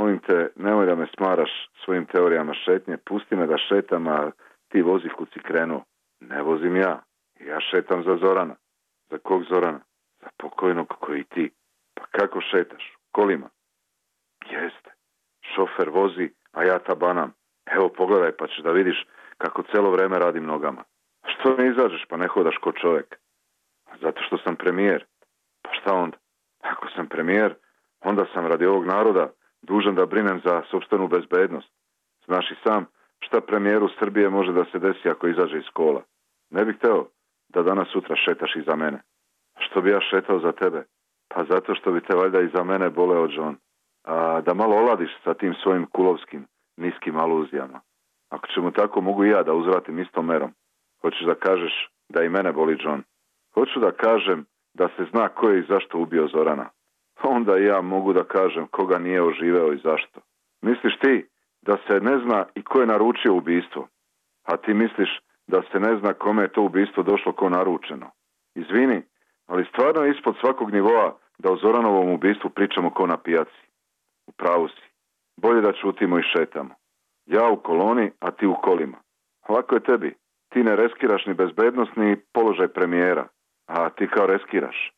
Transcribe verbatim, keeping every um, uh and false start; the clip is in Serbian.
molim te, nemoj da me smaraš svojim teorijama šetnje, pusti me da šetam, a ti vozi kud si krenuo. Ne vozim ja, ja šetam za Zorana. Za kog Zorana? Za pokojnog koji ti. Pa kako šetaš? Kolima? Jeste. Šofer vozi, a ja tabanam. Evo pogledaj pa ćeš da vidiš kako celo vreme radim nogama. Što ne izađeš pa ne hodaš ko čovjek? Zato što sam premijer. Pa šta onda? Ako sam premijer, onda sam radi ovog naroda dužan da brinem za sopstvenu bezbednost. Znaš i sam šta premijeru Srbije može da se desi ako izađe iz kola. Ne bih hteo da danas sutra šetaš iza mene. Što bi ja šetao za tebe? Pa zato što bi te valjda iza mene boleo John. A da malo oladiš sa tim svojim kulovskim, niskim aluzijama. Ako ćemo tako, mogu i ja da uzvratim istom merom. Hoćeš da kažeš da i mene boli John? Hoću da kažem da se zna ko je i zašto ubio Zorana. Onda i ja mogu da kažem koga nije oživeo i zašto. Misliš ti da se ne zna i ko je naručio ubistvo? A ti misliš da se ne zna kome je to ubistvo došlo ko naručeno? Izvini, ali stvarno je ispod svakog nivoa da o Zoranovom ubistvu pričamo ko na pijaci. U pravu si. Bolje da čutimo i šetamo. Ja u koloni, a ti u kolima. Lako je tebi. Ti ne reskiraš ni bezbednost, ni položaj premijera. A ti kao reskiraš.